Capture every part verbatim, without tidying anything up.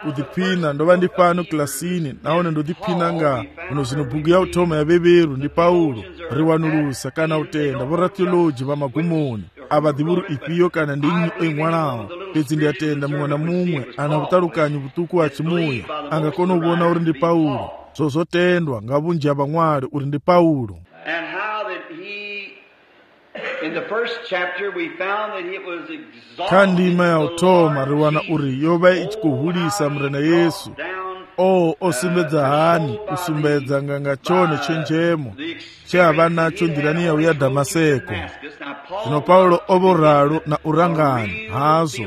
kudziphina ndova ndi pano kilasini naone ndodziphina nga uno zino bhuku ya uthoma ya beberu ndi Paulo riwanulusa kana utenda vo ratioloji va magumoni ava divuru ipiyo kana ndi ing'wanawo pedzi ndi atenda mumwe na mumwe ana vutalukanyi vutuku wa chimuya angakona uvona uri ndi Paulo zozotendwa nga vunji ya vang'wali uri ndi Paulo. In the first chapter we found that it was exalted. Kandima ya uthoma riwana uri yova ichikuhulisa mrena Yesu o osimbedza hani usumbedza nganga chone chenjemo chava nacho ndirani yawu ya Damaseko. Zino Paulo ovoralo na urangani hazo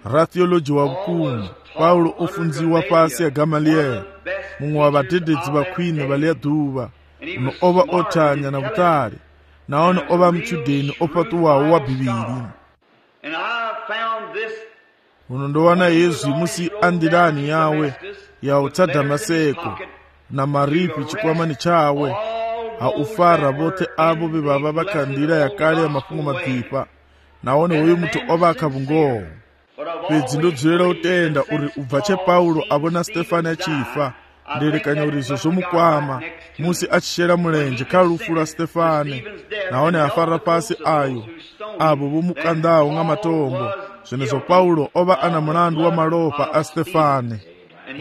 rathioloji wa vukumu Paulo ofunziwa pasi ya Gamalieli mumwe wa vadededzi vakhwine vali ya dhuva uno ova othanya na vutali naona oba mchudeni opatuwawo wa bibiri. Uno ndowana Yesu musi andirani yawe ya utsa Damaseko na maripi chikwamani chawe ha ufara bote abo bebaba bakandira ya kale ya mafungo madhipa naone uyu mutu oba akavungowo pedzi ndodzera utenda uri ubvache Paulo abona Stefano achifa nderekanya uri izo zomukwama musi achishera mulenje khala lufu la Stefane naone afara pasi ayo abo bomukandawo nga matombo zvenezo Paulo oba ana mulandu wa malopa a Stefane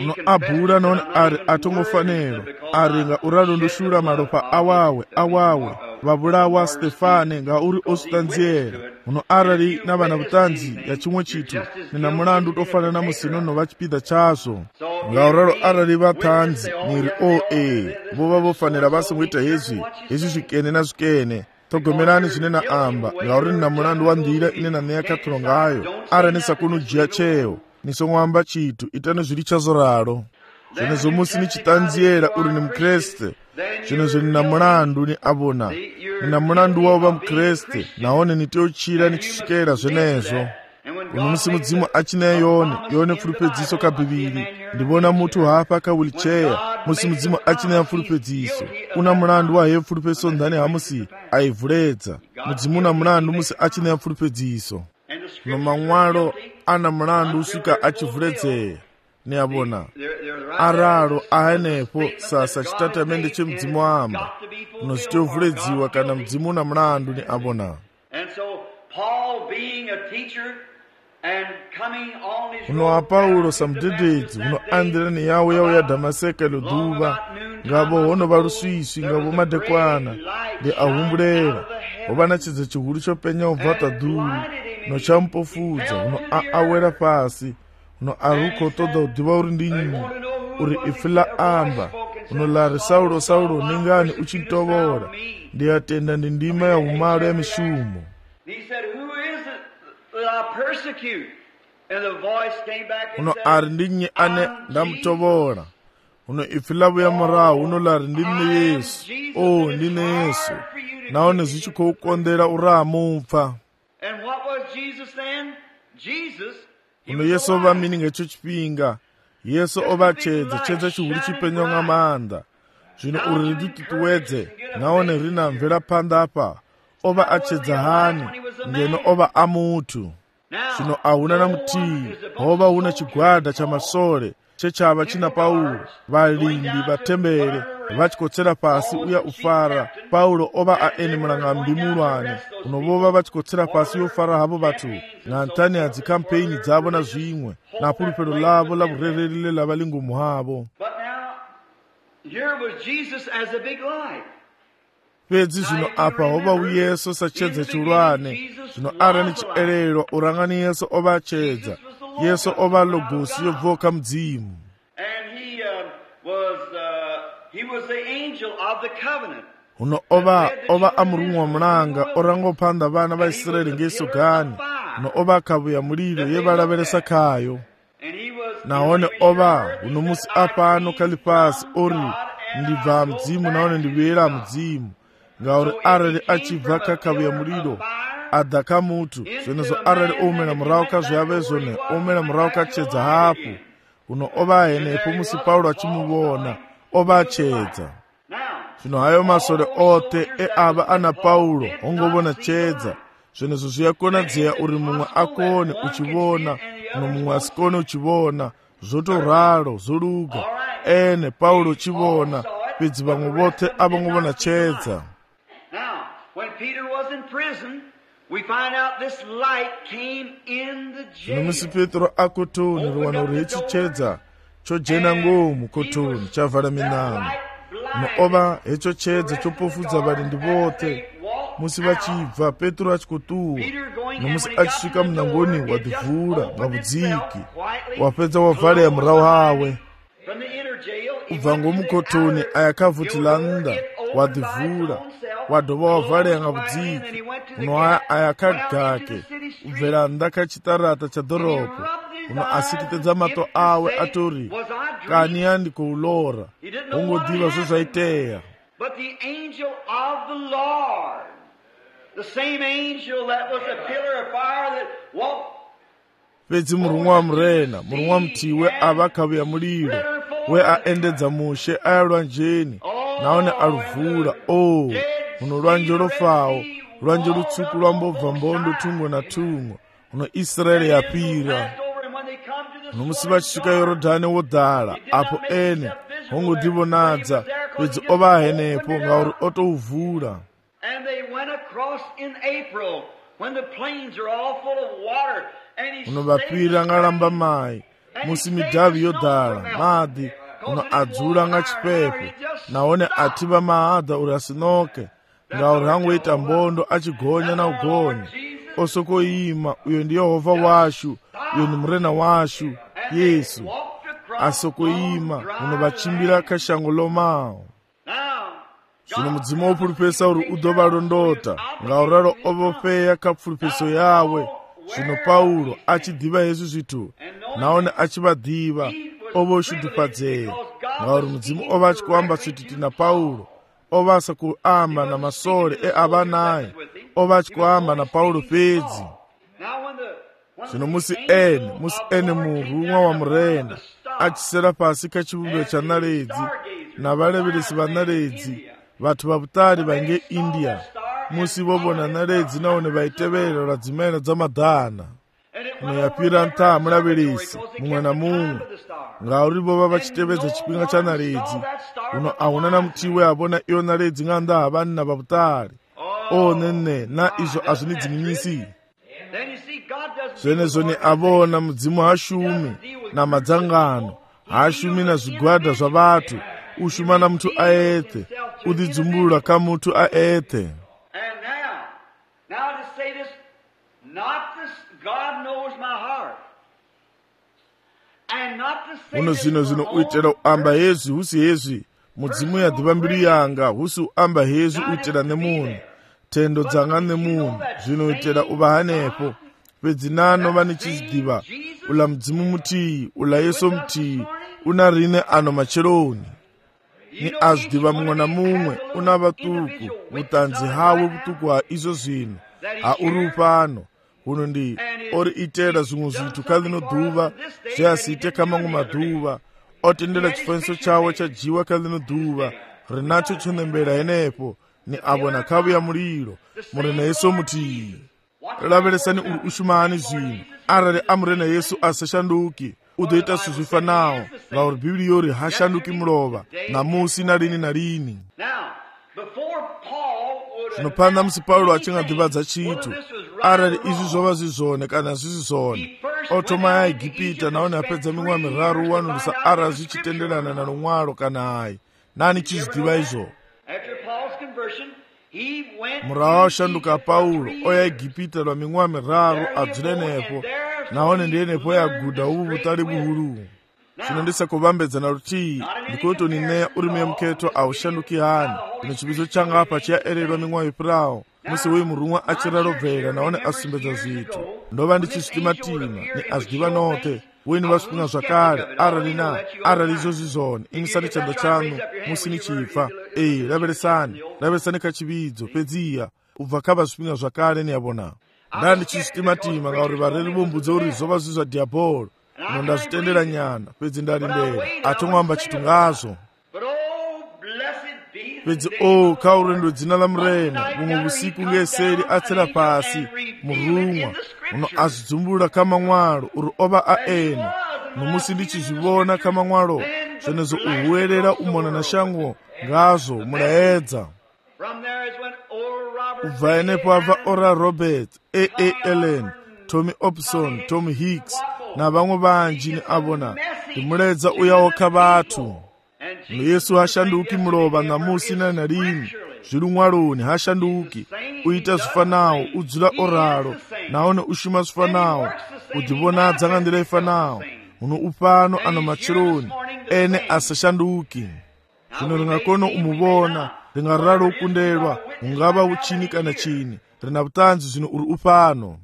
uno abhula naone ari atongofanero ari nga uralo ndoshula malopa awawe awawe vabulawa Stefane nga uri osutanziera uno arali na vana vutanzi ya chimwe chitu nina mulandu tofanana musinono vachipida chazo nga uralo arali vathanzi niri o e vova vofanira vasi ngwita hezwi hezwi zvikene na zvikene togomerani zvinena amba nga uri nina mulandu wa ndira inena neya kathulo ngayo ara nisakunujiya cheyo nisong'wamba chitu itano zviri chazoralo zvenezo musi nichitanziera uri ni mkreste zvenezo nina mulandu ni abona nina mulandu wavo va mkreste naone nitiochira nichisvikera zvenezo uno musi mudzimu achina yone yone pfulupedziso kabhibiri ndivona mutu hapa ka wheelchair musi mudzimu achina pfulupedziso una mulandu wa he pfulupeso ndani hamusi aivhuledza mudzimu una mulandu musi achina pfulupedziso no mang'walo ana mulandu usvika achivhuledzera ni abona aralo ahenepo sasa chitatamende chemudzimu amba unozitovhuledziwa kana mudzimu una mulandu ni abona. Uno wa Paulo samudededzi uno andirani yawo yawo ya Damaseko luduva ngavo hono valuswiswi ngavo madekwana ndi ahumbulera ovana chidza chihulu chopenya ubvata dhuru no champofudza uno awera pasi uno aruko toda udiva uri ndinyi uri ifila amba uno lari Saulo Saulo ningani uchintovora ndiyatenda ndi ndima ya umalo ya mishumo. Uno ari ndinyi ane ndamutovora uno ifilavu ya murahu uno lari ndine Yesu o ndine Yesu naone zichikoukondera uramupfa uno Yesu ova mini ngecho chipinga Yesu ova chedza chedza chihulu chipenya nga manda zvino uri ridutituwedze naone rina mvera panda apa ova achedza hani ngeno ova amutu zvino ahuna na mutii hova huna chigwada chamasore chechava china Paulo valimbi vatembere vachikotsera pasi uya ufara Paulo ova aeni mulangambi mulwane unovova vachikotsera pasi yofara havo vatu na ntani adzikampeni dzavo na zvimwe na pulupero lavo la vurererile lava lingumu havo. Pedzi zvino apa hova uyeso sachedza chulwane zvino ara ni chielelwa urangani Yesu ova achedza Yesu ova logosi yobvoka mudzimu. Uno ova ova amurumwa mulanga orangopanda vana va Israeli ngeso gani uno ova akavuya mulilo yevalaveresa kayo naone ova uno musi apano kali pasi ori ndibva mudzimu naone ndivuyera mudzimu ngauri arali achibva kakavuya mulilo adhaka mutu zvenezo arali omera murawo kazvavezone omera murawo kachedza hapo uno ova ahenepo musi Paulo achimuvona ova achedza. Zvino hayo masore ote e ava ana Paulo ongovona chedza zvenezo zviyakonadzea uri mumwe akone uchivona nomumwe asikone uchivona, zvotoralo zvoluga ene Paulo uchivona pedzi vamwe vothe avanguvona chedza. Now, when Peter was in prison, we find out this light came in the jail. Nomisi Petro akotoni ruwana uri chedza chojena ngomu kotoni chavala minango. Noova hecho chedza chopofudza varindi vothe. Musi vachibva Petro achikotuwa nomusi achisvika munangoni wadhivhura mwavudziki wapedza wavhaleya murawo hawe. Kubva ngomukotoni ayakavhutilanda wadhivhura wadhova wavhaleya ngavudziki uno ayakagake ubvera ndakachitarata chadhorobho uno asikitedza mato awe atori kani yandikoulora wongodiva zvezvaiteya. But the angel of the Lord, the same angel that was a pillar of fire that walked. Pedzi murumwa wa murena murumwa mutiwe avakauya muliro we aendedza mushe aya lwanjeni naone aluvhura. O uno lwanje lofawo lwanje lutsuku lwambobva mbondo tumwe na tumwe uno Israeli yapira. Nomusi vachisvika Yorodhani wodhala apo ene hongodivonadza pedzi ova henepo ngauri otouvhura. And they went across in April when the plains are all full of water. Uno vapira ngalamba mai musi midhavi yodhala madhi uno adzula nga chipepe naone ativa mahadha uri asinoke ngauri hangoita mbondo achigonya na ugonya osokoima. Uyo ndi Yehovha washu, uyo ndi murena washu Yesu asokoima uno vachimbira kashango lomawo. Zvino mudzimu wopulupesa uri udovalondota ngauraro ovofeya kapfulupeso yawe. Zvino Paulo achidhiva Yesu zvitu naone achivadhiva ovoshudhupadzeya ngauri mudzimu ova achikuamba svititi na Paulo ovasa kuamba na masore eava naye ova achikuamba na Paulo pedzi. Zvino musi ene musi ene murumwa wa murenda achisera pasi kachivumbiwa chanaredzi navaleveresi vanaredzi vathu vavutali vange India musi vovona naredzi naone vaitevera radzimena dzamadhana noyapira ntaa mulaveresi mumwe na mumwe ngauri vova vachitevedza chipinga cha naredzi uno ahuna na mutiwe avona iyo naredzi ng'anda havani na vavutali. O nene na izvo azvinidzinginyisi. Zvenezo ni avona mudzimu hashumi na madzangano hashumi na zvigwadha zvavathu ushuma na muthu aete udhidzumulula ka muthu aete. And now, now to say this, not this, God knows my heart. And not to say uno zvino zvino uitera uamba hezvi husi hezvi mudzimu yadhiva mbiri yanga husi uamba hezvi uitera nemunhu tendo dzanga nemunhu zvinoitera uva hanepo pedzi nanova nichizidhiva ula mudzimu mutii ula Yesu mutii una rine ano macheroni ni azidhiva mumwe na mumwe una vatuku vutanzi hawo vutuku ha izvo zvinhu hauri upano uno ndi ori itera zvimwe zvithu kalino dhuva zveasiite kamamwe madhuva otendera chifaniso chawo chajiwa kalino dhuva rinacho chonembera henepo ni avo nakauya muliro murena Yesu mutii. Laveresani uri ushumani zvinhu arali amurena Yesu asashanduki udoita sezvifanawo ngauri Bibhiri yori hashanduki mulova namusi na lini na lini. Zvinopanda musi Paulo achingadhivadza chitu arali izvi zvova zvizvone kana zvisizvone otoma yaIgipita naone apedza ming'wa miraru wanulusa arali zvichitenderana na lumwalo kana hayi nani chizidhiva izvo. Murawo washanduka Paulo oyaIgipita lwa ming'wa miraru adzule nepo naone ndiye nepo yagudha uvu vutali buhulu. Zvino ndisakuvambedzana rutii ndikuti neya uri muketo aushanduki hani ino chibizo changa apa chiyaererwa ming'wa ipirawo musi wei murumwa achiralobvera naone asumbedza zvithu ndova ndichisvitimatima ni azidhiva note weni vasvipinga zvakare arali na arali izvozvi zvone imisani chando chanu musi nichipfa. Ei laveresani laveresani kachividzo pedziya ubva kava zvipinga zvakare niyavona nda ndichisvitimatima ngauri vareri vombudza uri zvova zvi zvadhiabholo uno ndazvitendera nyana pedzi ndari mberi atomwamba chitu ngazvo. But oh, blessed be pedzi o kha urendo dzina la murena bumwe busiku ngeseli atsela pasi murumwa uno azidzumbula kha maṅwalo uri ova a ene nomusi ndi tshizivhona kha maṅwalo zwenezwo u huwelela u mona na shango ngazwo mulaedza. Ubva henepo abva Oral Roberts, A A Allen, Tommy Opson, Tom Hicks na vamwe vanji ni avona ndi mulaedza uyawo kha vathu. Yesu hashanduki mulova namusi na na lini zviri ṅwaloni hashanduki uita zwifanawo udzula oralo naone ushuma zwifanawo udivonadza nga nḓila ifanawo uno upano ano matshiloni ene asashanduki. Zvino ringakona umuvona ringaralo ukundelwa ungava uchini kana chini rina vutanzi zvino uri upano.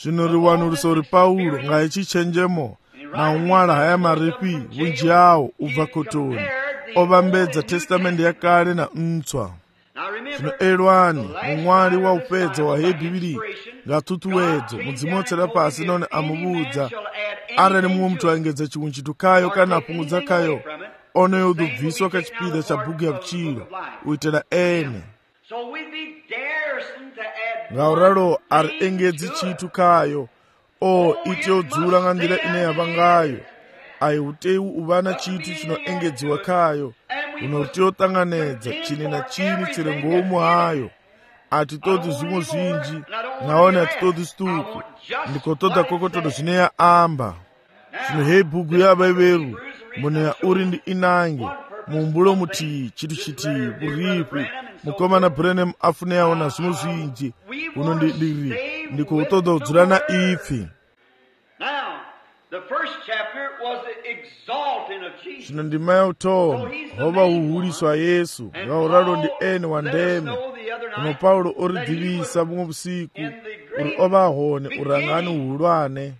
Zvino riwanulisa uri Paulo ngaichichenjemo na un'wala haya maripi vunji yawo ubva kotoni ovambedza testamende yakale na ntswa. Zvino elwani muṅwali wa upedza wa heyi bivhili nga tutuwedzo mudzimu wotsela pasi none amuvudza arali mumwe muthu aengedza chimwe chithu khayo kana apungudza khayo onoyo udobviswa kha chipida cha bhuku ya vutshilo uitela ene. Ngauralo ari engedzi chithu khayo o ite udzula nga nḓila ine yava ngayo ayi utei uva na chithu chinoengedziwa khayo uno utei uṱanganedza chini na chini chiri ngomu hayo. Atitodi zvimwe zvinji naone atitodi zituku ndikotoda kokotodo zvine ya amba. Zvino heyi bhuku yavaiveru mbone ya uri ndi inange muumbulo mutii chithu chitii buripi mukomana Branham afuneyawo na zvimwe zvinji uno ndiri ndikutoda udzula na ipfi. Zvino ndima ya utoma hova uhuliswa Yesu ngauralo ndi ene wa ndeme uno Paulo oridivisa bumwe busiku uri ova hone urangani uhulwane.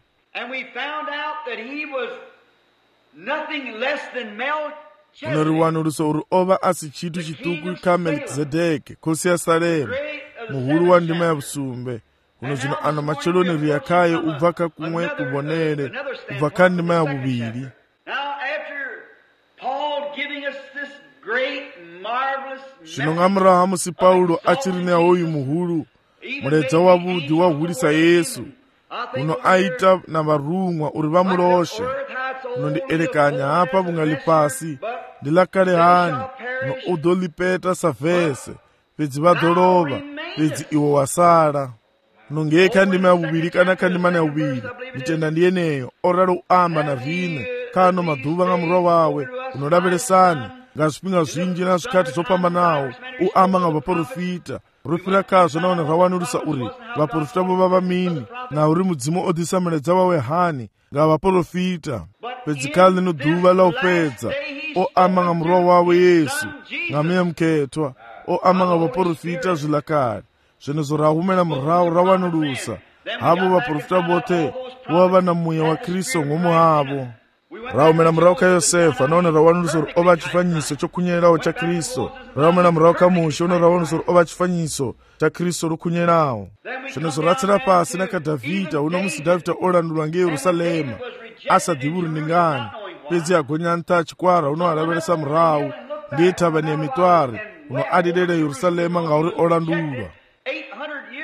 Uno riwanulisa uri ova asi chithu chituku kha Melkizedeki khosi ya Salemu muhulu wa ndima ya vusumbe. Uno zvino ano macheloni riyakhayo ubva kha kumwe kubonere ubva kha ndima ya vuvili. Zvino nga murahu ha musi Paulo achiri na hoyu muhulu muledza wavhudi wahulisa Yesu uno aita na varumwa uri vamuloshe. Uno ndi elekanya hapa vunga lipasi ndi lakale hani uno udolipeta sa vese pedzi vadolova pedzi iwo wasala. Nonge kha ndima ya vuvili kana kha ndima ya vuvili nditenda ndi eneyo oralo uamba na vhine khano maḓuvha nga murwa wawe unolavhelesani nga zwifhinga zwinji na zwikhati zopambanawo uamba nga vaprofita rufira khazwo nahone rawanulisa uri vaprofita vo vava mini na uri mudzimu o ḓisa muledza wawe hani nga vaprofita. Pedzi kha lino ḓuvha la u fhedza o amba nga murwa wawe Yesu nga muya mukhethwa o amba nga vaprofita zwiḽa kale. Zwenezwo ra humela murahu ra wanulusa havo vaprofita vothe vo va na muya wa Kristo ngomu havo. Ra humela murahu kha Yosefa nahone ra wanulusa uri ova tshifanyiso tsho khunyelaho cha Kristo. Ra humela murahu kha Musha nahone ra wanulusa uri ova tshifanyiso cha Kristo ro khunyelaho. Zwenezwo ra tsela pasi na kha Davhida uno musi Davhida o landulwa nge Yerusalema asa ḓivhi uri ndi ngani pedzi agonya nṱha chikwara uno alavhelesa murahu nge thavhani ya mitwari uno adidela Yerusalema ngauri o landulwa.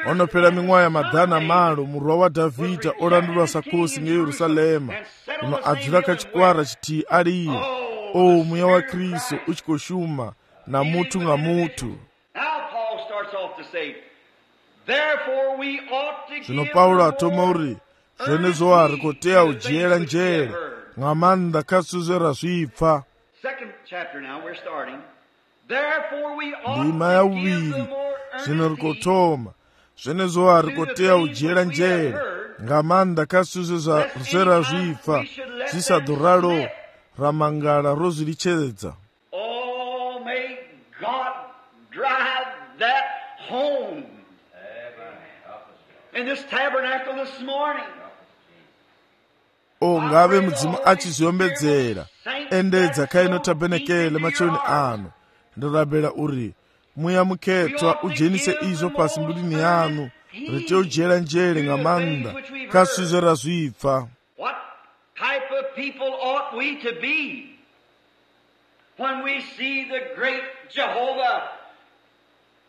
Ono phela miṅwaha ya maḓana malo murwa wa Davhida o landulwa sa khosi nge Yerusalema uno adzula kha chikwara chithihi aliye. O muya wa Kristo u tshi khou shuma na muthu nga muthu. Zvino Paulo athoma uri zwenezwo a ri khou tea u dzhiela nzhele nga maanḓa kha zwithu zwe ra zwipfa. Ndima ya vhuvhili zvino ri khou thoma zwenezwo a ri khou tea u dzhiela nzhele nga maanḓa kha zwithu zwe ra zwipfa zwi sa ḓo ralo ra mangala ro zwi litshedza. Oh, may God drive that home in this tabernacle this morning. O ngave mudzimu achizviombedzera endedza kha ino tabenekele macheloni ano ndirabela uri muya mukhethwa udzhenise izvo pasi mbudini yanu ri tea u dzhiela nzhele nga maanḓa kha zwithu zwe ra zwipfa. What type of people ought we to be when we see the great Jehovah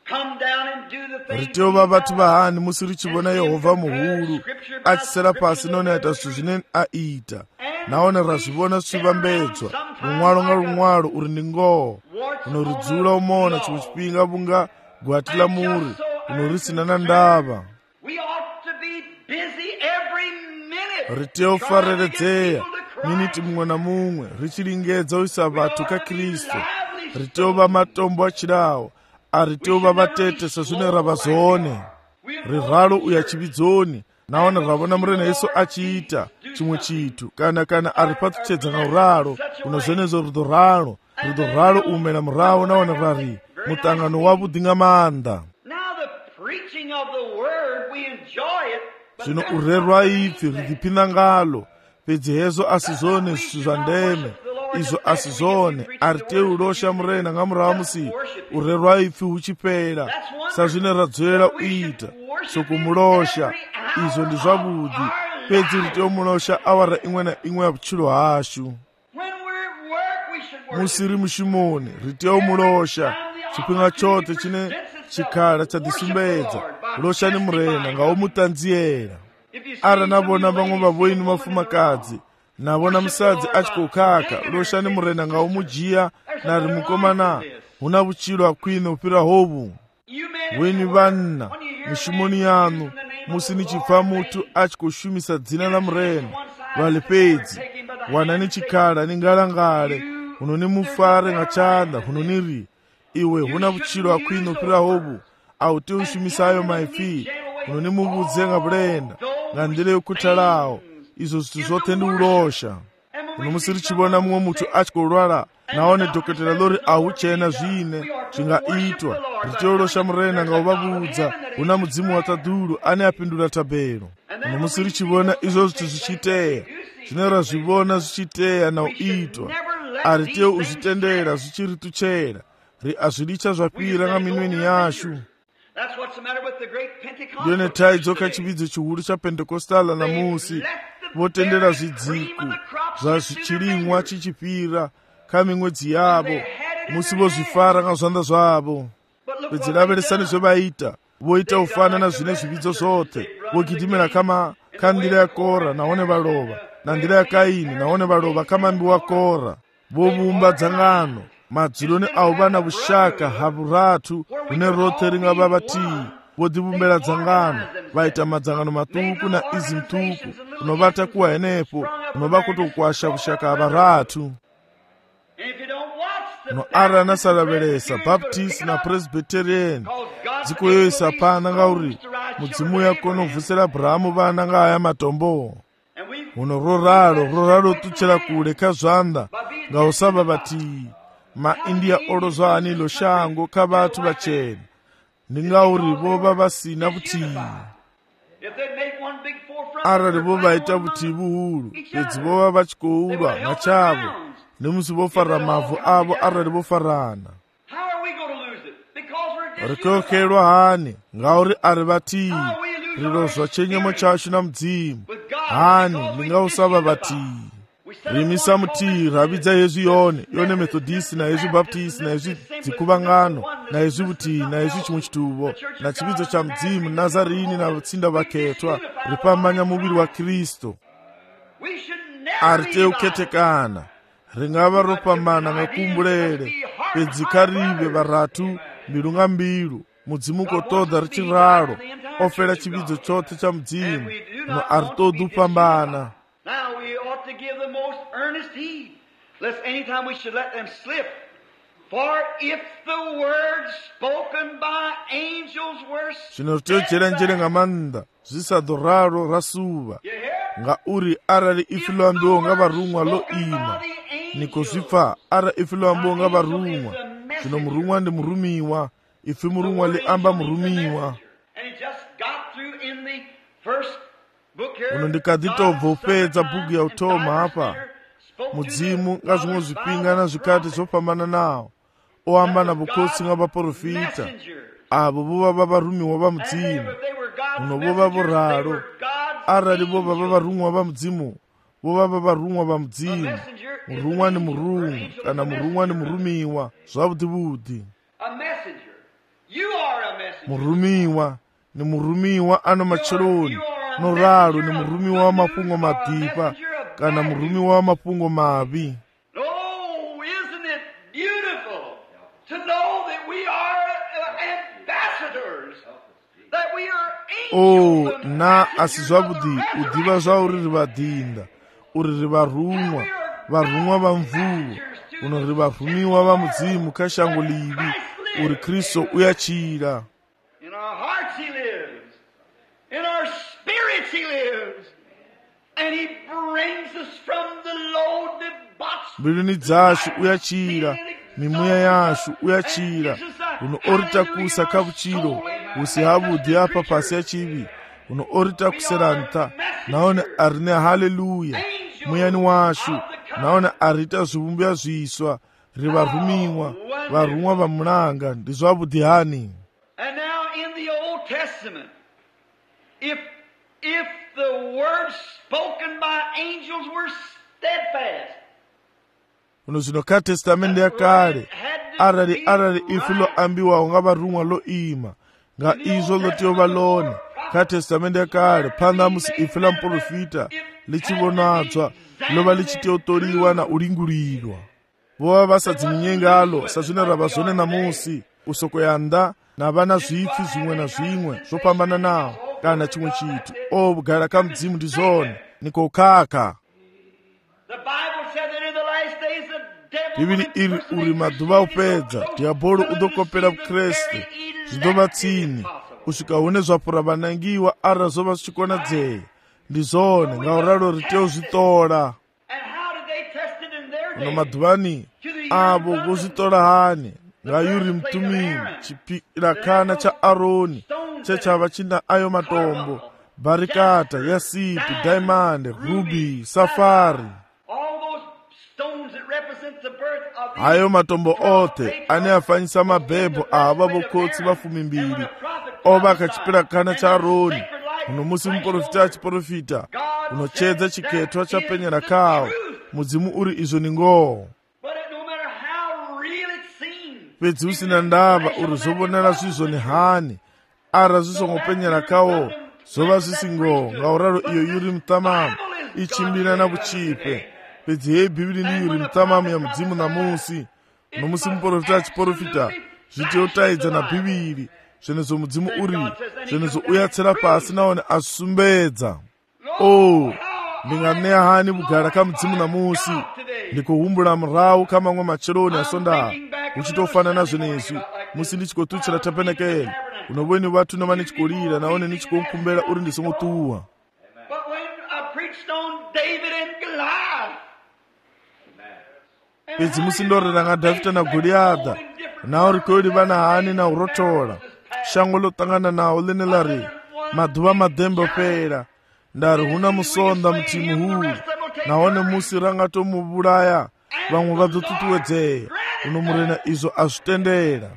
come down and do the things riteo va vatu vahani musi richivona Yehovha muhuru achisera pasi none aita zvithu zvine aita naone razvivona zvichivambedzwa rumwalo nga rumwalo uri ndi ngoho unoridzula umona chimwe chipinga vunga gwati la muri unorisina na ndava riteo fareredzea miniti mumwe na mumwe richilingedza uisa vathu ka Kristu riteo va matombo achidawo ariteo va vatete sezvine rava zvone riralo uya chividzoni naone ravona murena Yesu achiita chimwe chithu kana kana ari patuchedza na uralo unozvenezo rudo ralo rudo ralo umela murawo naone rari mutangano wavudi nga maanda zvino urerwa ipfi ridipinda ngalo pedzi hezo asizone zvithu zva ndeme izvo asizone ariteu ulosha murena nga murawo musi urerwa ipfi huchipera sazvine radzorera uita sokumulosha izvo ndi zvavudi pedzi riteu mulosha awara imwe na imwe ya butshilo hashu musiri mushimoni riteu mulosha chipinga chote chine chikhala cha disumbedza ulosha ni murena nga umutanziyera ara navona vamwe vavoini mafumakadzi navona musadzi achikokaka ulosha ni murena nga umujiya nari mukomana huna butshilo akwine upira hovu weni vanna mishimoni yanu musi nichipfa mutu achikoshumisa dzina la murena vali pedzi wana ni chikhala ni ngalangale huno ni mufare nga chanda huno niri iwe huna butshilo akwine upira hovu auti ushumisayo maifi huno ni muvudze nga bulenda nga ndile yokuthalawo izo zithu zothe ndi ulosha uno musi richivona mumwe mutu achikolwala naone dokotela lori auchena zvine zvingaitwa ritiolosha murena nga uvavudza una mudzimu wa tadulu ane apindula tabelo uno musi richivona izo zithu zvichiteya zvine razvivona zvichiteya na uitwa ariteo uzvitendera zvichirituchera ri azvilicha zvapira nga minweni yashu ndiyone taidzoka chividzo chihuru cha Pentekostala na musi votendera zvidziku zva chirimwa chichipira ka mimwedzi yavo musi vozvifara nga zvanda zvavo pedzi laveresani zvevaita voita ufana na zvine zvividzo zvothe vogidimira kama ka ndira ya Kora naone valova na ndira ya Kaini naone valova ka mambi wa Kora vovumba dzangano madzuloni avo vana vushaka havuratu hune rothe ringa va vatii vodivumbela dzangano vaita madzangano matuku na izi mtuku unovata kuwa henepo unova kutokwasha vushaka havaratu no ara nasalavelesa Baptist na Presbyterian dzikoyoisa pana ngauri mudzimu yako novhusela Abrahamu vana nga haya matombo uno roralo roralo tuchela kule ka zvanda nga usava vatii maindia olozwa anilo shango ka vatu vachena ningauri vova vasina vutii arali vovaita vutii vuhulu pedzi vova vachikoulwa machavo nemusi vofara mavu avo arali vofarana rikokelwa hani ngauri ari vatii rilozwa chenyemo chashu na mudzimu hani ningausava vatii rimisa mutii ravidza yezu yone yone Methodist na yezu Baptist na yezu dzikuvangano na yezu vutii na yezu chimwe chituvo na chividzo cha mudzimu Nazarini na vatsinda vaketwa ripamanya muviri wa Kristu ariteu ketekana ringava ropambana ngakumbulele pedzi karive varatu mbilu nga mbilu mudzimu kotoda richiralo ofela chividzo chothe cha mudzimu no aritodu pambana. Now we ought to give the most earnest heed, lest any time we should let them slip. For if the words spoken by angels were chinotochera njere nga manda zvisadoraro rasuva nga uri arali ifilambiwo nga varumwa lo ima niko zvipfa ara ifilambiwo nga varumwa zvino murumwa ndi murumiwa ifi murumwa li amba murumiwa uno ndikadzitobva upedza bhuku ya utoma hapa mudzimu nga zvimwe zvipinga na zvikati zvopambana nawo oamba na vukhosi nga vaprofita avo vova vavarumiwa va mudzimu uno vova voralo arali vova vavarumwa va mudzimu vovava varumwa va mudzimu. Murumwa ni murungu kana murumwa ni murumiwa zwavhuḓi vhuḓi. Murumiwa ni murumiwa ano matsheloni, no ralo ni murumiwa wa mafhungo maḓipa kana murumiwa wa mafhungo mavhi. Oh, na asi zwavhuḓi u ḓivha zwa uri ri vhaḓinda, uri ri varumwa, varumwa va mvuwo, uno ri varumiwa va mudzimu kha shango ḽivhi, uri Kristo u ya tshila. In our hearts he lives, in our spirits he lives, and he brings us from the low debauch. Mbiluni dzashu u ya tshila, mimuya yashu u ya tshila, uno oritakusa kha vhutshilo husi havhuḓi hafha fhasi ya tshivhi, uno oritakusela nṱha, nahone a ri ne haleluya muyani washu, nahone a ri ita zwivhumbwa zwiswa, ri varumiwa, varumwa va mulanga. Ndi zwavhuḓi hani. And now in the Old Testament, if if the words spoken by angels were steadfast, uno zvino kha testamende ya kale, arali arali ifi lo ambiwaho nga varumwa lo ima, nga izwo lo tea u vha ḽone. Kha testamende ya kale, phanḓa musi ifi ḽa muprofita ḽi tshi vhonadzwa, ḽo vha ḽi tshi tea u ṱoliwa na u lingulilwa. Vho vha vha sa dzinginye ngalo sa zwine ra vha zwone namusi, u soko ya nnḓa na vha na zwipfi zwiṅwe na zwiṅwe zwo fhambananaho kana tshiṅwe tshithu. O, vhugala kha mudzimu ndi zwone, ni khou khakha. Bivhili iri uri maḓuvha u fhedza diabolo u ḓo kopela vhukreste, zwi ḓo vha tsini u swika hune zwa fhura vhanangiwa arali zwo vha zwi tshi konadzea. Ndi zwone, nga u ralo ri tea u zwi ṱola. Ano maḓuvhani avho vho zwi ṱola hani? Nga Uri Mtumini, tshipilakhana tsha Aroni tshe tsha vha tshi na ayo matombo, barikata, yasipi, diamond, ruby, safari. Hayo matombo othe ane a fanyisa mabebo a havha vhokhotsi vha fumimbili o vha kha tshipilakhana tsha Aroni. Uno musi muprofita a tshiprofita, uno tshedza tshikhetho tsha penyela khawo, mudzimu uri izwo ni ngoho. Fhedzi hu sina ndavha uri zwo vhonala zwi zwone hani, ara zwi songo penyela khawo zwo vha zwi si ngoho. Ngauralo iyo Uri Muṱamamu i tshimbila na vhutshipe. Fhedzi hei Bivhili ndi Uri Muṱamamu ya mudzimu namusi. No musi muprofita a tshiprofita, zwi tea u taidza na Bivhili, zwenezwo mudzimu uri zwenezwo u ya tsela fhasi nahone a zwi sumbedza. O, ndi nga ṋea hani vhugala kha mudzimu namusi? Ndi khou humbula murahu kha maṅwe matsheloni a sondaha, hu tshi tou fana na zwenezwi musi ndi tshi khou ṱutshela tabernacle. Uno vhoni vhathu no vha ni tshi khou lila nahone ni tshi khou khumbela uri ndi songo ṱuwa. Fhedzi musi ndo rera nga Davhida na Goliaḓa, na uri khou livhana hani na u rothola, shango ḽo ṱangana naho ḽine ḽa ri maḓuvha maḓembe o fhela, nda ri hu na musonda muthihi muhulu, nahone musi ra nga tou mu vhulaya vhaṅwe vha ḓo ṱuṱuwedzea. Uno murena izwo a zwi tendela.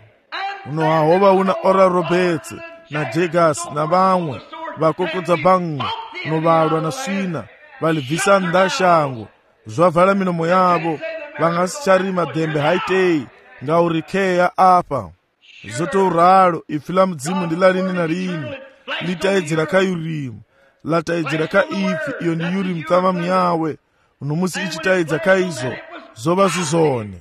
Uno ha ho vha hu na Ora Roberts na Jegas na vhaṅwe vha kokodza bannga, no vhalwa na swina, vha ḽi bvisa nnḓa shango, zwa vala milomo yavho, vha nga si tsha ri maḓembe ha itei nga uri khea afha. Zwo tou ralo ipfi ḽa mudzimu ndi ḽa lini na lini, ḽi taedzela kha Urimu, ḽa taedzela kha ipfi iyo ndi Uri Muṱamamu yawe. Uno musi i tshi taedza kha izwo, zwo vha zwi zwone.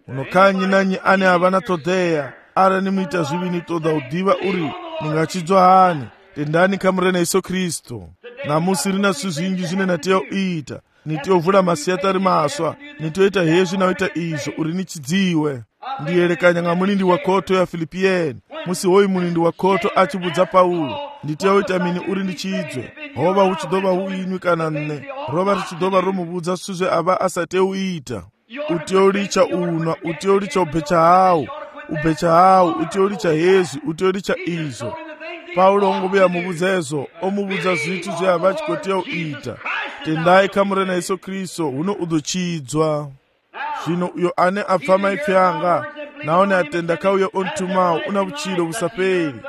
Uno kha nnyi na nnyi ane a vha na ṱhoḓea, arali ni mu ita zwivhi ni ṱoḓa u ḓivha uri ni nga tshidzwa hani, tendani kha murena Yesu Kristo. Namusi ri na zwithu zwinzhi zwine na tea u ita. Ni tea u vula masiaṱari maswa, ni tea u ita hezwi na u ita izwo uri ni tshidziwe. Ndi elekanya nga mulindi wa khotho ya Filipiyeni, musi hoyu mulindi wa khotho a tshi vhudza Paulo, ndi tea u ita mini uri ndi tshidzwe? Ho vha hu tshi ḓo vha hu iṅwi kana nṋe, ro vha ri tshi ḓo vha ro mu vhudza zwithu zwe a vha a sa tea u ita. U tea u litsha unwa, u tea u litsha u betsha hawu, u betsha hawu, u tea u litsha hezwi, u tea u litsha izwo. Paulo ngo vhuya muvhudza ezwo, o muvhudza zwithu zwe a vha a tshi khou tea u ita. Tendai kha murena Yesu Kristo, huno u ḓo tshidzwa. Zwino uyo ane a pfa maipfi anga, nahone a tenda kha uyo o nthumaho, u na vhutshilo vhu sa fheli.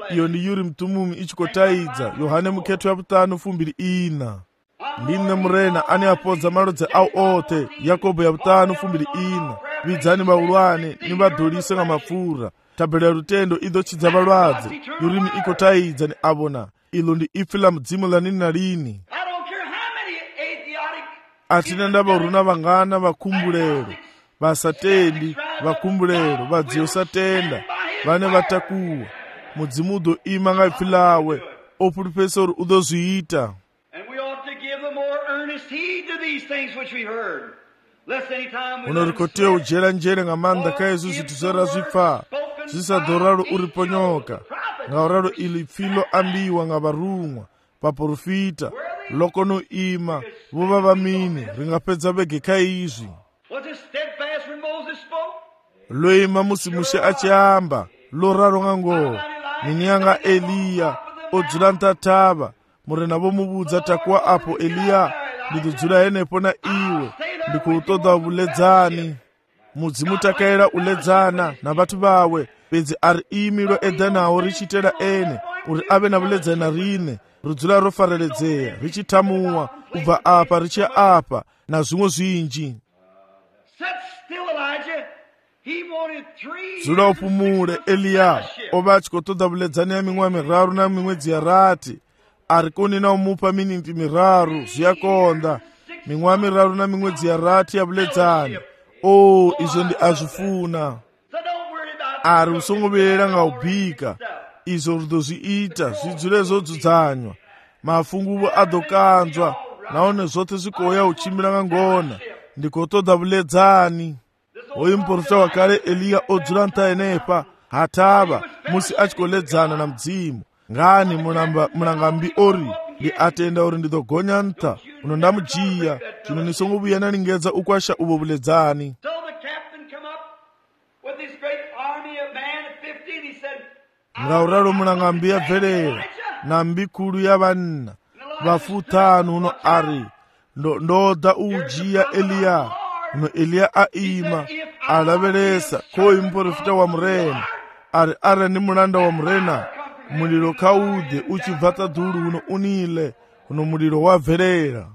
Iyo ndi Uri Muṱumumu i tshi khou taidza, Yohane mukhetho ya vhuṱanu fumbili ina. ndi nne murena ane apodza malodze awo othe. Yakobo ya butano fumbiri ina. Vidzani baulwane ni badolise nga mafura. Tabela lutendo ido chidza balwadze. Yurimi iko taidza ni abona. Ilo ndi ifi la mdzimu la nini na lini. Atina ndaba uruna vangana vakumbulero. Vasatendi, vakumbulero, vadziyo satenda. Vane vatakuwa. Mudzimu udo ima nga ifi lawe. Opulipesori udo zuita. Unorikotea ujera njere nga manda kaezu zituzera zwifa. Zisadoraro uriponyoka. Nga oraro ili filo ambiwa nga barumwa. Paporufita. Lokono ima. Vuva vamini. Ringapedza bege kaizwi. Loima musimushe achiamba. Loraro nga ngo. Ninyanga Eliya. Odzula ntataba. Murena bomubudza takuwa apo Eliya. Ndidzula enepo na iwe. Ndikuutoda uledzani. Mudzimu takaira uledzana na vatu vawe. Pedzi ari imilo edanawo richitera ene. Uri ave na uledzana rine. Rudzula rofareledzea. Richitamuwa. Ubva apa richia apa. Na zvimwe zvinji. Dzula upumule Eliya. Ova achikotoda uledzani ya mimwe miraru na mimwedzi ya rati. Ari kuni na umupa minimpi miraru. Zviyakonda. Mimwe miraru na mimwedzi ya rati ya uledzani. Oh, izo ndi azifuna. Ari usongobera nga ubika. Izo rudo ziita, zidzule zodzudzanywa. Mafunguwo adokanzwa. Naone zote zikoya uchimbira nga ngona. Ndikotoda uledzani. Oyi mporota wakale Eliya odzula ntaenepa. Hataba, musi achikoledzana na mdzimu. Ngani munangambi ori. Ndi atenda ori ndidogonya nta. Uno ndamujiya. Chino nisongobuyana ningedza ukwasha ubo uledzani. Ngauraro munangambi ya velera. Na mbikulu ya vanna. Vafutanu uno ari. Ndo ndoda ujiya Eliya. Uno Eliya aima. Alavelesa. Koi mporofita wa mrena. Ari ara ni mulanda wa mrena. Muliro kaude. Uchivata duru uno unile. Uno muliro wa velera.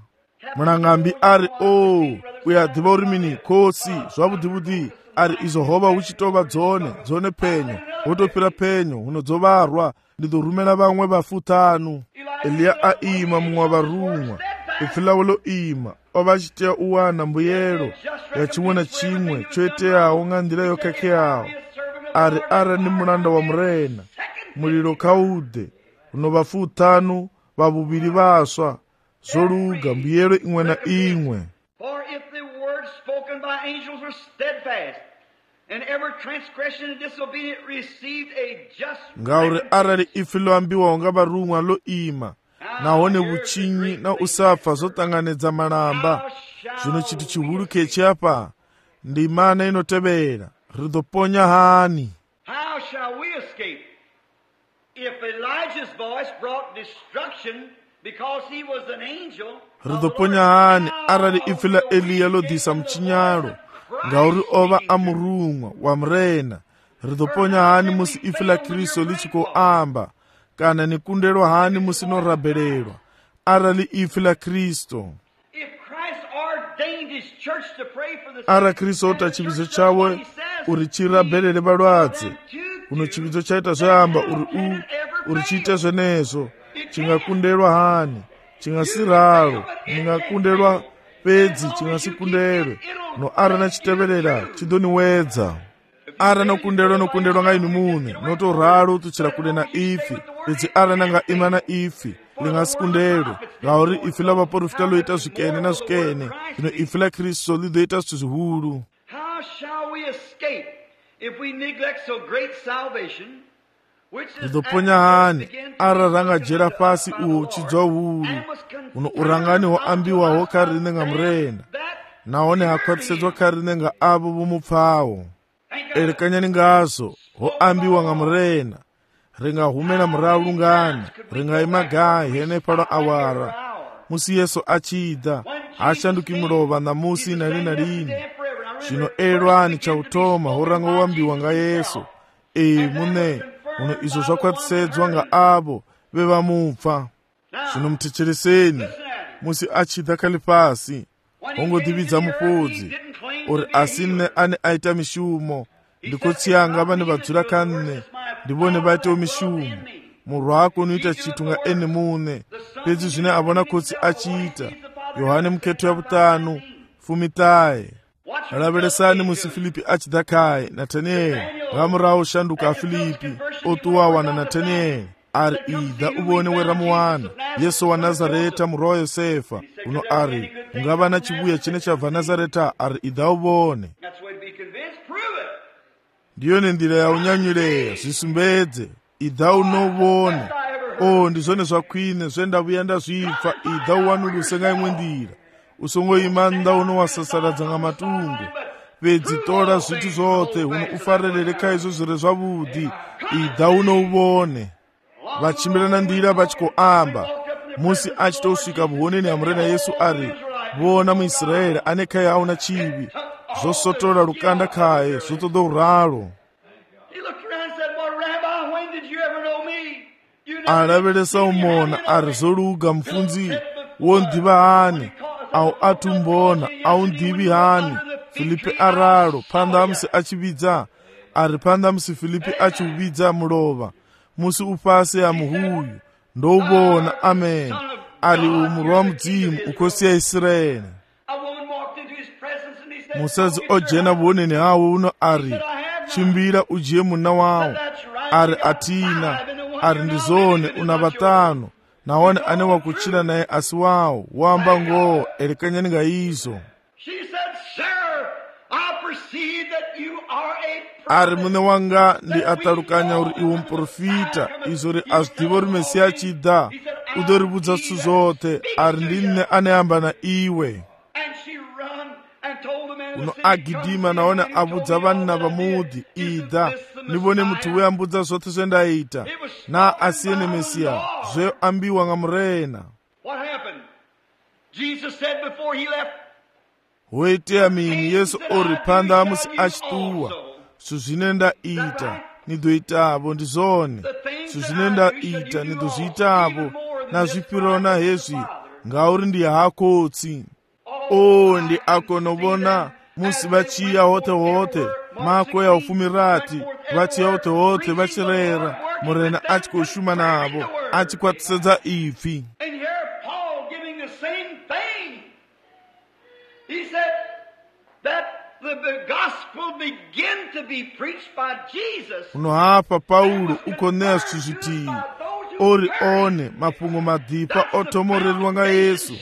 Munangambi ari o. Uya divorimini kosi. Zwabudibudi. Ari izo hoba uchitoba dzone. Dzone penyo. Utopira penyo. Uno dzobarwa. Ndido rumela vamwe vafutanu. Eliya aima mwa varumwa. Ifilawolo ima. Ova chitea uwana mbuyero. Ya chimwe na chimwe. Choetea unga ndira yokake yao. Ari ara ni mulanda wa mrena. Muliro kaude. Uno vafutanu. Vabubiri vaswa. Zoluga mbuyero ingwe na ingwe. For if the words spoken by angels were steadfast, and every transgression and disobedient received a just ngaure arari ifilo ambiwa nga barumwa lo ima. Naone buchinyi na usafa zotanganedza malamba. Zvino chiti chihulu kechiapa. Ndi mana inotevera. Ridoponya hani. How shall we escape if Elijah's voice brought destruction because he was an angel? Ridoponya hani arari ifila Eliya lo disa mchinyaro. Ngauri ova amurumwa wa mrena. Ridoponya hani musi ifila Kristo lichiko amba. Kana nikundelwa hani musi no rabelelwa. Arali ifila Kristo. Ara Kristo ota chibizo chawe. Uri chirabelele balwadze. Uno chibizo chaita zamba uri u. Uri chita zvenezo. Chingakundelwa hani. Chingasiralo. Ningakundelwa pedzi. Chingasikundelwe. No ara na chitebelela. Chidoni wedza. Ara no kundelwa no kundelwa nga inu mune. Noto raro tuchira kule na ifi. Ezi ara nanga imana ifi. Lingasikundelwe. Ngauri ifi la vaporofita lo ita zvikene na zvikene. Ino ifi la Kristo lido ita zihulu. How shall we escape if we neglect so great salvation? Ridoponya hani ara ranga jera pasi uo chidzwa hulu. Uno urangani ho ambiwa ho karine nga mrena. Naone hakwatishedzwa karine nga abo bomupfawo. Erekanyani ngazo ho ambiwa nga mrena. Ringa humena mraulu ngani. Ringa imagai hene palo awara. Musi Yesu achida. Ashanduki mrova na musi na lina lini. Shino erwani cha utoma horanga wambiwa nga Yesu. E mune. Uno izo zakwatishedzwa nga abo beba mupfa. Shino mtichiriseni. musi achida kale pasi ongodivhidza mufudzi uri asi nne ane aita mishumo ndikotsiyanga vane vadzura kanne ndivone vaitewo mishumo murwi wako unoita chitu nga ene mune pedzi zvine avona kotsi achiita. Yohane muketo yavutanu fumitaye alaveresani musi Filipi achida kai Natanieli ngamurawo shanduka a Filipi otuwawa na Natanieli ari idha uvone weramuwana Yesu wa Nazareta murwi wa Yosefa uno ari ungava na chibuya chine chabva Nazareta ari idha uvone. Ndiyo nendira ya unyanyuleya zvisumbedze idha unovone. O ndizvone zvakwine zvendavuya ndazvipfa idha uwanuluse nga imwe ndira usongoima nda unowasasaradza nga matungu pedzi tora zvitu zvothe uno ufarelere kaizvo zviri zvavudi idha unouvone. Vachimbirana ndira vachikoamba musi achitosvika vuhoneni hamurena Yesu ari vona muIsraeri ane kai auna chivi zvosotora rukanda kaye zvotodo uralo. Alaveresa umona ari zoluga mfunzi wondiva hani au atumbona au ndivi hani Filipi aralo panda musi achividza ari panda musi Filipi achividza mulova musi upasi ya muhuyu ndovona amen ari umurwi wa mudzimu ukosiya Israeli. Musadzi ojena vuoneni hawo uno ari chimbira ujiye muna wawo ari atina ari ndizone una vatano naone ane wakuchira naye asi wawo wamba ngoo elekanyani nga izo. Ari mune wanga ndi atarukanya uri iwo mprofita izo ri azdivo ri Mesiya achida udoribudza zvitu zothe ari ndinne aneyamba na iwe. Uno agidima naone abudza vanna vamudhi idha nivone muti weambudza zvothe zvendaita na asiyene Mesiya zveyo ambiwa nga murena. Hoite amini Yesu ori panda musi achituwa suzvine ndaita nidoitavo ndizone suzvine ndaita nidozviitavo nazvipirona hezvi ngauri ndi hakotsi. O ndi akonovona musi vachiya hote hote mako ya ufumirati vachiya hote hote vachirera murena achikoshuma navo achikwatisedza ipfi. Uno hapa Paulo ukoneya zvitu zvitivi ori one mapungo madhipa otomorerwa nga Yesu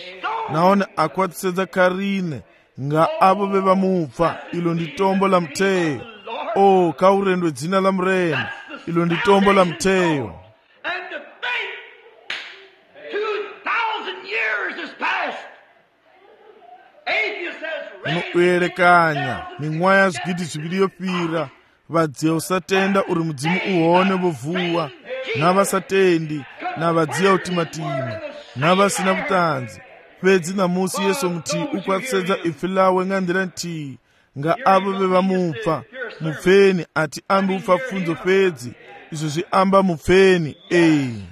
naone akwatisedza karine nga avo vevamupfa ilo ndi tombo la mteyo. O kaurendwe dzina la murena ilo ndi tombo la mteyo. Uno uyerekanya mimwaya zvigidi zviviri yopira vadziya usatenda uri mudzimu uone vovuwa navasatendi navadziya utimatima navasina kutanzi pedzi namusi Yesu muti ukwatisedza ipfi lawe nga ndira ntii nga avo vevamupfa mupfeni ati ambi upfa pfunzo pedzi izvo zviamba mupfeni. Ei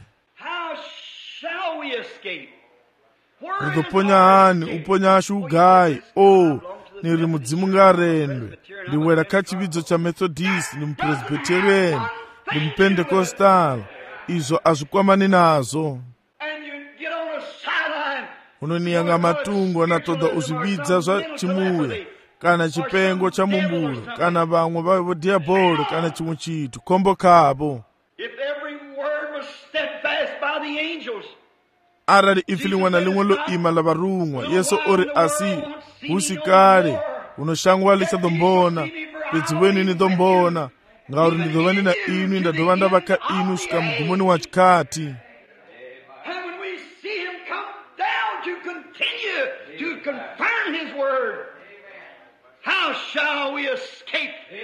rizoponya hani uponya ashu ugayi. O niri mudzimu ngarendwe ndiwera kachividzo cha Methodist ndi mupresbyterian ndi mupendekostal izvo azvikwamani nazo. Unoniyanga matungo anatoda uzvividza zva chimuya kana chipengo cha mumbulo kana vamwe vavo diabolo kana chimwe chitu kombo kavo. Arali ifi limwe na limwe loima la varungwa Yesu ori asi husikale unoshangwa lichadombona pedzi weni nidombona ngauri ndidova ndina inu ndadova ndavaka inu svika mugumoni wa chikati.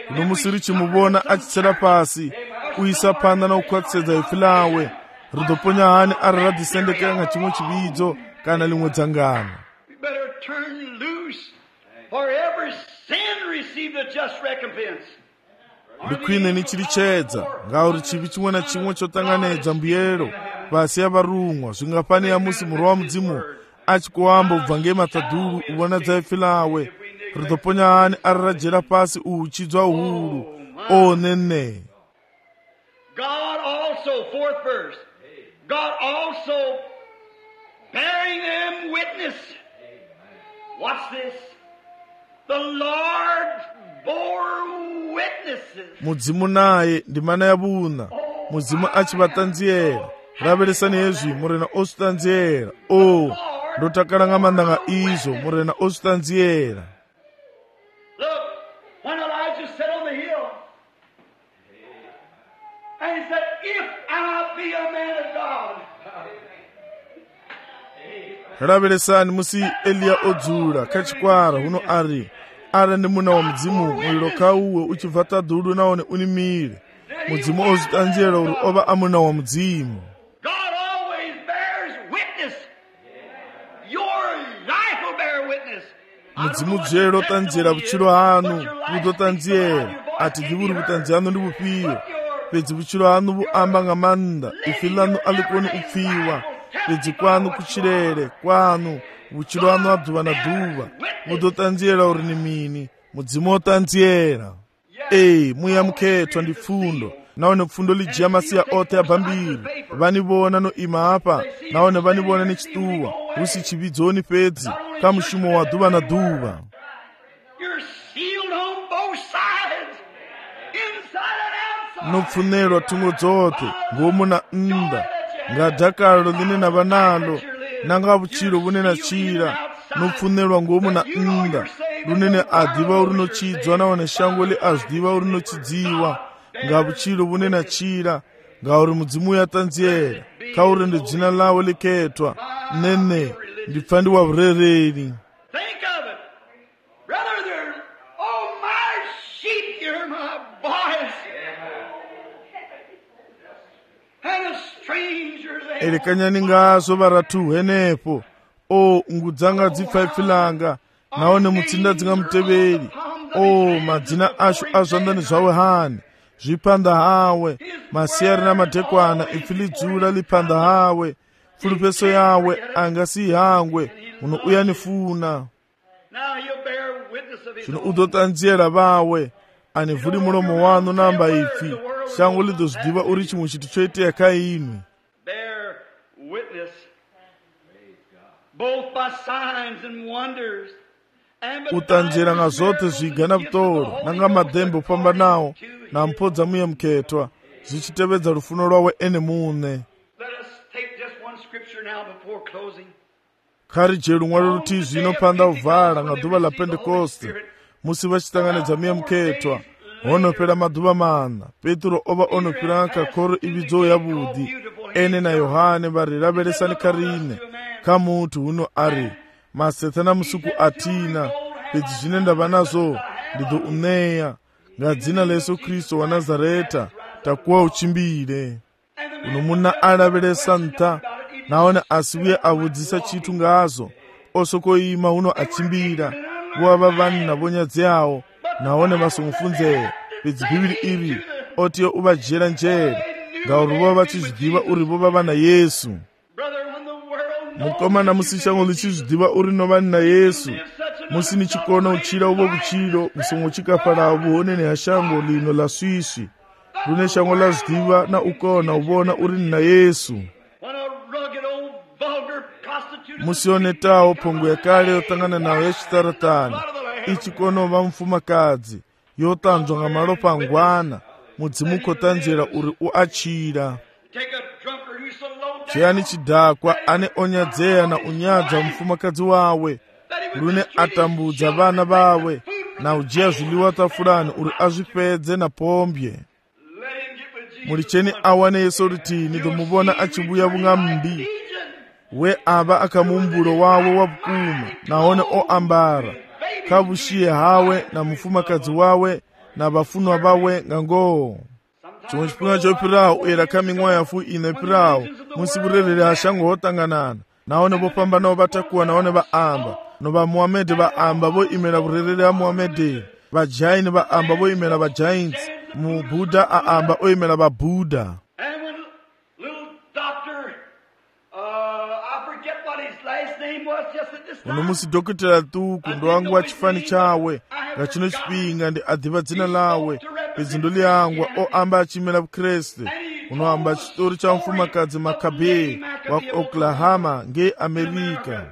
Uno musiri chimuvona achitsera pasi uisa panda na ukwatisedza ipfi lawe ridoponya hani ari radhisendekera nga chimwe chividzo kana limwe dzangano. Ndikwine nichirichedza ngauri chivi chimwe na chimwe chotanganedza mbuyero pasi ya varungwa zvingapani ya musi murwi wa mudzimu achikuamba ubva ngematadhuru ubona dzaifi lawe ritoponyani arirajera pasi uchidzwa uhuru o nene. God also, fourth verse, God also bearing them witness. What's this? The Lord bore witnesses. Mudzimu naye ndimana yabuna mudzimu achivatanziyera raveresani yezvi murena oswitanziyera o ndotakalanga mandanga izo murena oswitanziyera. Look, when Elijah sat on the hill and he said, if I be a man of God. raveresani musi Eliya odzula kachikwara huno ari ara ndi muna wa mudzimu muliro kauwe uchibva tadhulu naone unimire mudzimu ozvitanziyera uri ova amuna wa mudzimu. God always bears witness. Your life will bear witness. mudzimu dzero tanziyera vuchiro hanu vutotanziyera ati ndivuri kutanzi hanu ndi vupiyo pedzi vuchiro hanu vuamba ngamanda ifi lanu alikoni upfiwa pedzi kwanu kuchirere kwanu vuchiro hanu adhuva na dhuva mutotanziyera uri ni mini mudzimu otanziyera. Ei muyamukhetwa ndi pfundo naone pfundo lijiya masiya othe abvambiri vanivona no ima apa naone vanivona ni chituwa husi chividzoni pedzi kamushumo wa dhuva na dhuva. nopfunelwa thungo dzothe ngomu na nda ngadhakalo line na vanalo nanga vuchiro vune na chira nopfunelwa ngomu na nda lunene adhiva uri nochidzwa naone shango li azvidiva uri nochidziwa ngavuchiro vune na chira ngauri mudzimu yatanziyera kauri ndi dzina lawe likhetwa nene ndipfa ndi wa vurereri. elekanyani ngazo varatu henepo o ngudzanga dzipfaipfilanga naone mutsinda dzingamuteveri o madzina asho azvandani zvawe hani zvipanda hawe masiyari namadhekwana ipfilidzula lipanda hawe fulupeso yawe angasi hangwe uno uyanifuna zvino utotanziyera vawe ani vhuri mulomo wanu namba ifi shango lidozvidiva uri chimwe chitu choitea kainwi. utanziyera nga zote zvigana vutoro nanga madhembe upamba nawo na mpodza muyamukhetwa zvichitevedza rufuno rwawe ene mune. khari jeru mwari ruti zvino panda uvhara nga dhuva la pentekoste musi vachitanganidza muyamukhetwa honopera madhuva mana petro ova onopira kakoro ividzo yavudi ene na yohane vari raveresani karine kamutu huno ari masetana musuku atina pedzi zvine ndava nazvo ndidzo uneya ngadzina layesu kristu wa nazareta takuwa uchimbire uno muna araveresa nta naone asiuye avudzisa chitu ngazo osokoima uno achimbira vova vanhu navonyadzi awo naone vasomufunzeye pedzi bhibhiri iri otiyo uvajera njere ngauri vova vachizvidiva uri vova vana Yesu. mukomana musi shango lichizvidiva uri no vanhu na Yesu musi nichikona uchira uvo vuchiro musongo chikafara vuhoneni hashango lino la swiswi rune shango lazvidiva na ukona uvona uri na Yesu. musionetawo pongo yakale yotangana nawo yachitaratani ichikonova mfumakadzi yotanzwa nga malopa angwana mudzimu kotanzira uri uachira. chiyani chidhakwa ane onyadzeya na unyadza mfumakadzi wawe rune atambudza vana vawe na ujiya zviliwa tafurani uri azvipedze na pombye. mulicheni awane Yesu ritini domuvona achivuya vungambi we ava akamumburo wawe wavukuma naone oambara kavushiye hawe na mufumakadzi wawe na vafunwa vawe ngangoo. chimwe chipinga chopirawo uyera kaming'wa yafu ine pirawo musi vurerere hashango hotanganana naone vopambanawo vatakuwa naone vaamba no vamuhamedhi vaamba voimera vurerere ha muhamedhi vajaini vaamba voimera vajains mubhudha aamba oimera vabhudha. uno musi dokotela tuku ndo wangu wa chifani chawe nga chino chipinga ndi adhiva dzina lawe pedzindo lyangwa o amba achimela bukreste uno amba chitori cha mfumakadzi Makabe wa Oklahoma nge Amerika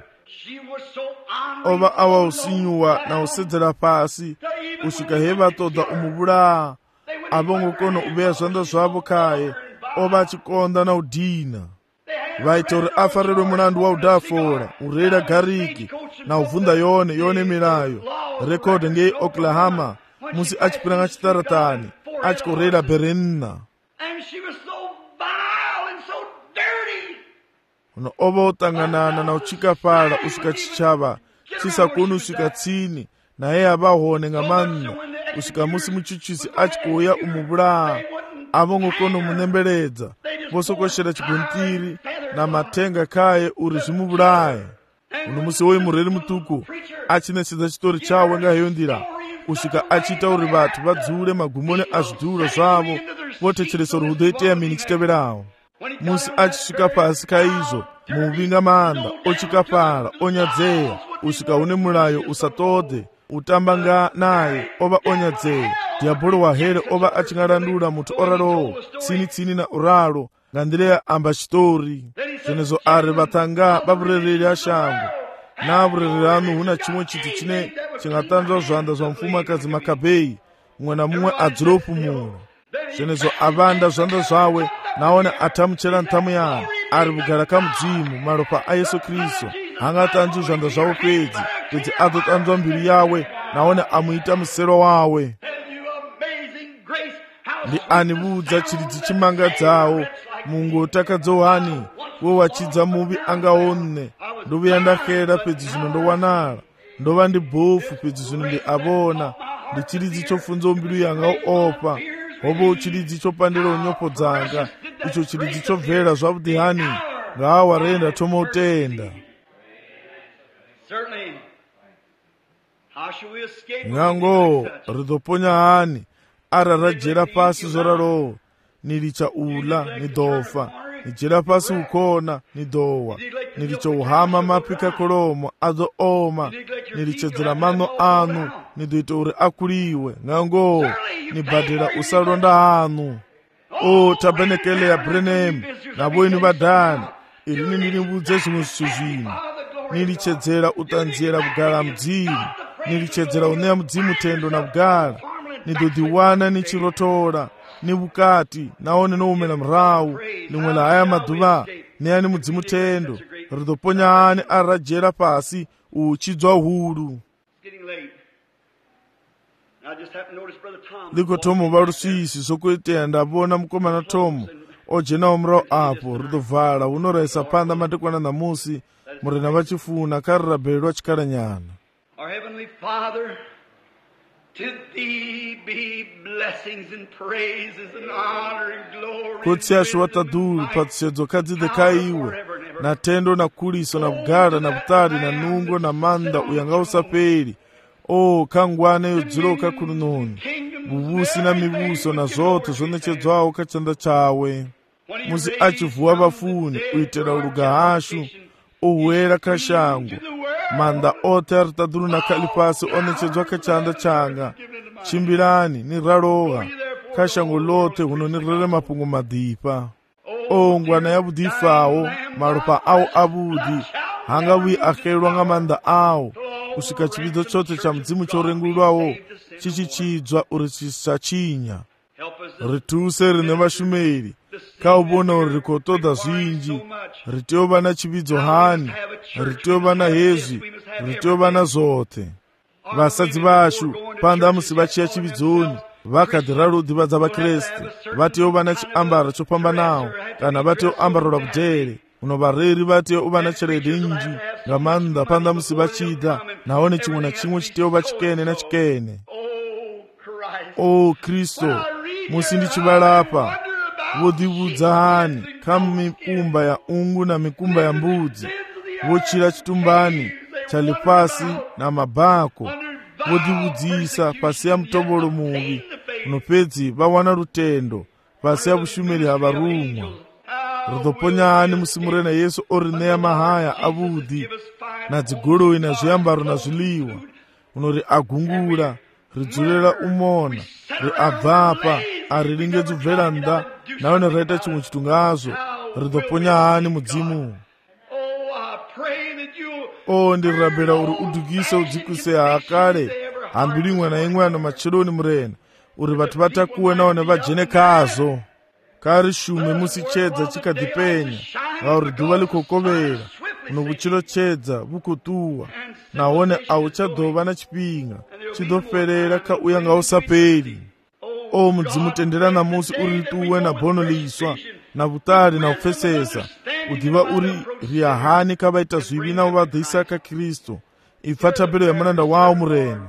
ova awa usinyuwa na usedzera pasi usika heva toda umubula abongo kono ubeya zwanda zwavo kaye ova achikonda na udina vaita uri afarelwe mulandu wa udafora urera gariki na uvunda yone yone milayo rekodi nge Oklahoma musi achipiranga chitaratani achikorera Berenna uno ova utanganana na uchikafala usika chichava chisakoni usika tsini naye avahone nga manna usika musi muchuchisi achikuya umubula avongo kono munembeledza vosokoshera chiguntiri na matenga kaye uri zvimubulaye uno musi woyi mureri mutuku achinetsedza chitori chawe ngaheyo ndira usika achita uri vatu vadzure magumone azvidhuro zvavo votechelesa uri hudoiteya mini chiteverawo musi achisvika pasi kaizvo muvinga manda ochikafala onyadzeya usika une mulayo usatode utambanga naye ova onyadzeya diabolo wahere ova achingarandula mutu oralowo tsini tsini na uralo nga ndileya amba chitori zenezo ari vatanga vavurereri ashango na vurereri anu huna chimwe chiti chine chingatanzwa zvanda zva mfumakadzi Makabe mumwe na mumwe adzire upumula zenezo avanda zvanda zvawe naone atamuchera ntamu yanu ari kugara kamudzimu maropa a Yesu Kristu hangatanzwi zvanda zvavo pedzi pedzi azotanzwa mbiri yawe naone amuita musero wawe ndi anivudza chiridzi chimangadzawo mungu takadzohani we wachidza muvi angaone ndovuya ndakera pedzi zvino ndowanala ndova ndi bhofu pedzi zvino ndi avona ndi chiridzi chofunza mbilu yanga opa hovo chiridzi chopandira unyopo dzanga icho chiridzi chobvera zvavudihani ngawa renda tomoutenda nyango ridoponya hani ara rajera pasi zoraro nilicha ula nidofa nijera pasi ukona nidowa nilicha uhama mapika kolomo azo oma nilichedzera mano anu nidoita uri akuliwe nyango nibadira usalonda hanu o tabenekele ya Branham nabo inu vadani irini nilivudze zvimwe zvithu zvino nilichedzera utanzira kugara mdzimu nilichedzera uneya mudzimu tendo na kugara nidodiwana nichirotora nivukati naone noumela mrau nimwela haya maduva neyani mudzimu tendo ridoponya hani arajera pasi uchidzwa huru liko Tomo varusisi sokuiteya ndavona mukomana Tomo ojenawo mrau apo ridovhala unoraisa panda madekwana namusi murena vachifuna karirabhelwa chikaranyana. Our Heavenly Father, to Thee be blessings and praises and honor and glory. Kutsi ashwatadulu patsedzo kadzide kaiwe na tendo na kuliso na bugara na butari na nungo na manda uyanga usaperi. O kangwane yodziroka kulunoni bubusi na mibuso na zote zonechedzwawo kachanda chawe muzi achivuwa vafuni uitera ulugahashu uwera kashangu manda ote aritaduru na kalipasi onechedzwa kachanda changa chimbirani ni raroha kashangu lote huno ni rere mapungu madipa o ngwana ya budifawo marupa au abudi hanga wi akelwa nga manda au usika chibidzo chote cha mdzimu chorengulwawo chichichidzwa uri chisachinya rituse rine vashumeri kaubona uri rikotoda zvinji ritiova na chibidzo hani ritiova na hezvi ritiova na zote vasadzi vashu panda musi vachiya chibidzoni vakadhira rudhiva dzavakreste vatiova na chiambaro chopambanawo kana vatio ambaro rabudhere uno vareri vatio uva na cherede inji ngamanda panda musi vachida naone chimwe na chimwe chiteova chikene na chikene. O Kristo musi ndichivalapa vodivudza hani kamu mikumba ya ungu na mikumba ya mbudzi vochira chitumbani chalipasi na mabhako vodivudzisa pasi ya mutobolo muvi unopedzi vawana rutendo pasi ya vushumeri havarumwa. ri ḓo ponyani musi murena Yesu o ri ṋea mahaya avhuḓi na dzigoloi na zwiambaro na zwiḽiwa, uno ri a gungula, ri dzulela u mona, ri a bvafha, a ri lingedza u bvela nnḓa, nahone ra ita tshiṅwe tshithu ngazwo, ri ḓo ponya hani mudzimu? O ndi rabela uri u dugise u dzikusea ha kale ha mbilu iṅwe na iṅwe ano matsheloni murena, uri vhathu vha takuwe nahone vha dzhene khazwo. Kha ri shume musi tshedza tshi kha ḓi penya, ngauri ḓuvha ḽi khou kovhela, uno vhutshilo tshedza vhu khou ṱuwa, nahone a hu tsha ḓo vha na tshifhinga, tshi ḓo fhelela kha u ya nga u sa fheli. O mudzimu, tendela namusi uri ri ṱuwe na bono ḽiswa na vhuṱali na u pfesesa, u ḓivha uri ri a hani kha vha ita zwivhi na u vha ḓisa kha Kristo. Ipfa thabelo ya mulanda wawo murena.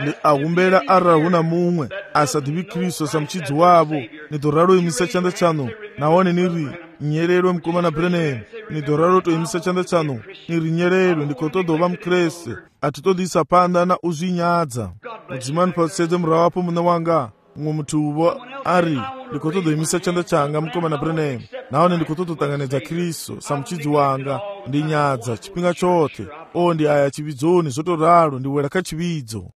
Ndi a humbela arali hu na muṅwe a sa ḓivhi Kristo sa mutshidzi wavho, ni ḓo ralo imisa tshanḓa tshaṋu nahone ni ri nyelelwe mukomana Branham. Ni ḓo ralo to imisa tshanḓa tshaṋu ni ri nyelelwe, ndi khou ṱoḓa u vha mukreste, a thi ṱoḓi isa phanḓa na u zwi nyadza. Mudzimani phasedze murahu hafho muṋe wanga. Muṅwe muthu uvho a ri, ndi khou ṱoḓa u imisa tshanḓa tshanga mukomana Branham, nahone ndi khou ṱoḓa u ṱanganedza Kristo sa mutshidzi wanga. Ndi nyadza tshifhinga tshoṱhe. O ndi aya tshivhidzoni, zwo to ralo ndi wela kha tshivhidzo.